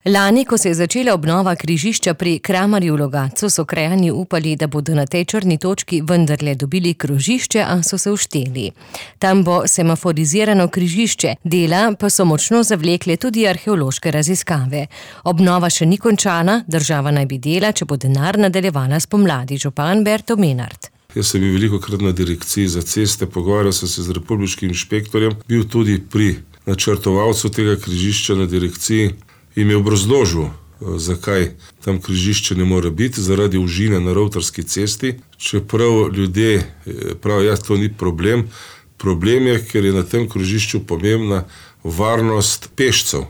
Lani, ko se je začela obnova križišča pri Kramarju v Logatcu, so krajani upali, da bodo na tej črni točki vendarle dobili krožišče, a so se ušteli. Tam bo semaforizirano križišče, dela pa so močno zavlekle tudi arheološke raziskave. Obnova še ni končana, država naj bi dela, če bo denar nadaljevala spomladi, župan Berto Menard. Jaz sem bil velikokrat na direkciji za ceste, pogovarjal sem se z republiškim inšpektorjem, bil tudi pri načrtovalcu tega križišča na direkciji in mi je obrazložil, zakaj tam križišče ne more biti, zaradi užine na Rovtarski cesti. Čeprav ljudje pravijo, to ni problem. Problem je, ker je na tem križišču pomembna varnost pešcev.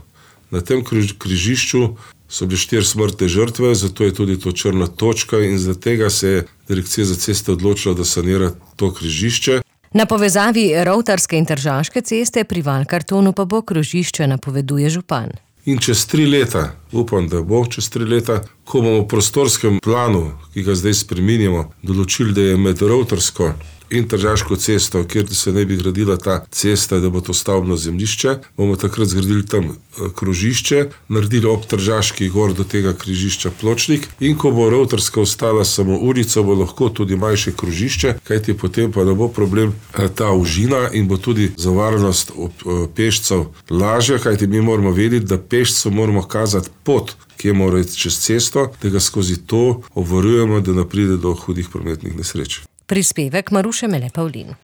Na tem križišču so bile 4 smrtne žrtve, zato je tudi to črna točka in zaradi tega se je direkcija za ceste odločila, da sanira to križišče. Na povezavi Rovtarske in Tržaške ceste pri Valkartonu pa bo krožišče, napoveduje župan. In čez 3 leta, upam, da bo čez 3 leta, ko bomo v prostorskem planu, ki ga zdaj spreminjamo, določili, da je med Rovtarsko in Tržaško cesto, kjer se ne bi gradila ta cesta, da bo to stavbno zemljišče, bomo takrat zgradili tam krožišče, naredili ob Tržaški gor do tega križišča pločnik in ko bo Rovtarska ostala samo ulico, bo lahko tudi manjše krožišče, kajti potem pa ne bo problem ta užina in bo tudi za varnost pešcev lažja, kajti mi moramo vedeti, da pešcu moramo kazati pot, kje mora iti čez cesto, da ga skozi to obvarujemo, da ne pride do hudih prometnih nesreč. Prispevek Maruše Mele Pavlin.